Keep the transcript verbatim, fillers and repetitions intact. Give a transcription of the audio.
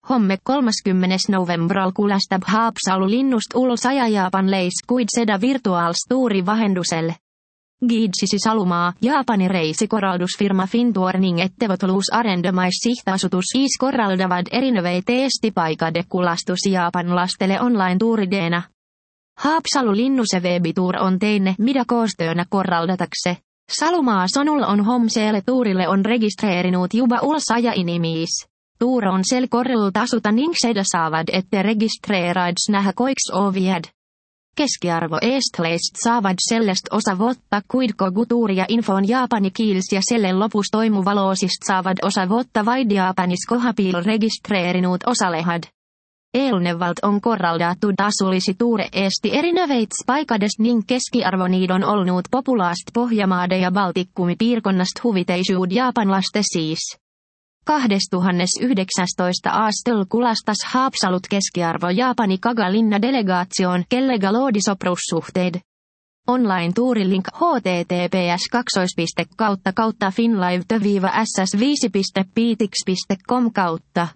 Homme kolmaskymmenes novembral kulastab Haapsalu linnust ulos aja Jaapan leis kuid seda virtuaalstuuri vahendusel. Giidsisi Salumaa, Jaapani reisikorraldusfirma Fintour ning ettevõtlus arendamaissihtasutus I S korraldavad erinevaid Eesti paikade kulastusi jaapanlastele online-tuurideena. Haapsalu linnuse veebituur on teine, mida koostöönä korraldatakse. Salumaa sõnul on homsele tuurille on registreerinud juba ulos aja inimis. Tuur on sel korral tasuta ning seda saavad ette registreeraids näha koiks oviad. Keskiarvo eestlaist saavad sellest osa võtta, kuid kogu tuuri ja info on jaapani kiilis ja selle lopus toimuva loosist saavad osa võtta vaid Jaapanis kohapeal registreerinud osalejad. Eelnevalt on korraldatud tasulisi tuure Eesti erinevates paikadest ning keskiarvo niid on olnud populaast Pohjamaade ja Baltikumi piirkonnast huviteisuud jaapanlaste siis. kaksituhattayhdeksäntoista aastal kulastas Haapsalut keskiarvo Jaapani Kaga-linna delegaatioon, kellega loodi soprussuhteid. Online-tuurilink https kaksois piste kautta kautta finlive s s viisi piste piitix piste com kautta.